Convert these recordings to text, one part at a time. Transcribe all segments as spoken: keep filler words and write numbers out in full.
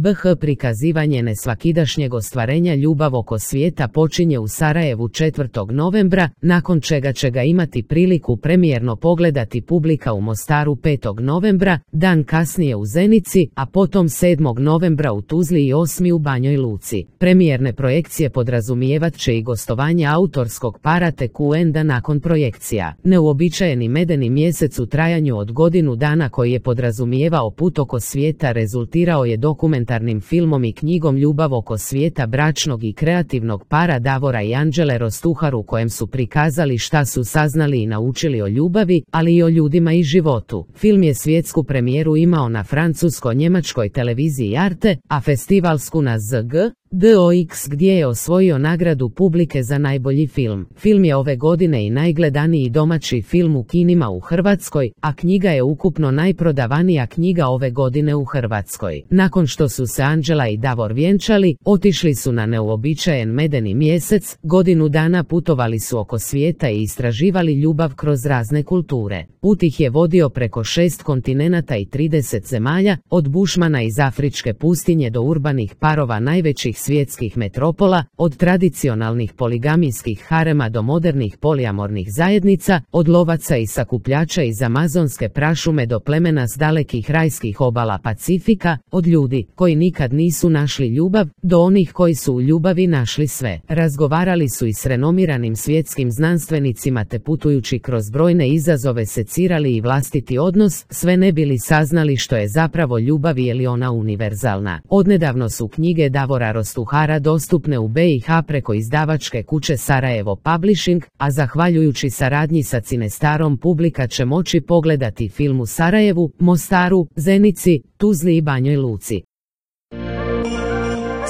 B H prikazivanje nesvakidašnjeg ostvarenja ljubav oko svijeta počinje u Sarajevu četvrtog novembra, nakon čega će ga imati priliku premijerno pogledati publika u Mostaru petog novembra, dan kasnije u Zenici, a potom sedmog novembra u Tuzli i osmog u Banjoj Luci. Premijerne projekcije podrazumijevat će i gostovanje autorskog para Tekunda nakon projekcija. Neuobičajeni medeni mjesec u trajanju od godinu dana koji je podrazumijevao put oko svijeta rezultirao je dokumentarnim filmom i knjigom Ljubav oko svijeta bračnog i kreativnog para Davora i Anđele Rostuhar, u kojem su prikazali šta su saznali i naučili o ljubavi, ali i o ljudima i životu. Film je svjetsku premijeru imao na francusko-njemačkoj televiziji Arte, a festivalsku na Z G D O X gdje je osvojio nagradu publike za najbolji film. Film je ove godine i najgledaniji domaći film u kinima u Hrvatskoj, a knjiga je ukupno najprodavanija knjiga ove godine u Hrvatskoj. Nakon što su se Anđela i Davor vjenčali, otišli su na neuobičajen medeni mjesec, godinu dana putovali su oko svijeta i istraživali ljubav kroz razne kulture. Put ih je vodio preko šest kontinenata i trideset zemalja, od bušmana iz afričke pustinje do urbanih parova najvećih svjetskih metropola, od tradicionalnih poligamijskih harema do modernih polijamornih zajednica, od lovaca i sakupljača iz amazonske prašume do plemena s dalekih rajskih obala Pacifika, od ljudi koji nikad nisu našli ljubav do onih koji su u ljubavi našli sve. Razgovarali su i s renomiranim svjetskim znanstvenicima te putujući kroz brojne izazove secirali i vlastiti odnos, sve ne bili saznali što je zapravo ljubav i je li ona univerzalna. Odnedavno su knjige Davora Rostuhara dostupne u B i H preko izdavačke kuće Sarajevo Publishing, a zahvaljujući saradnji sa Cinestarom publika će moći pogledati film u Sarajevu, Mostaru, Zenici, Tuzli i Banjoj Luci.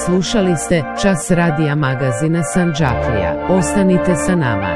Slušali ste Čas radija magazina Sandžaklija. Ostanite sa nama.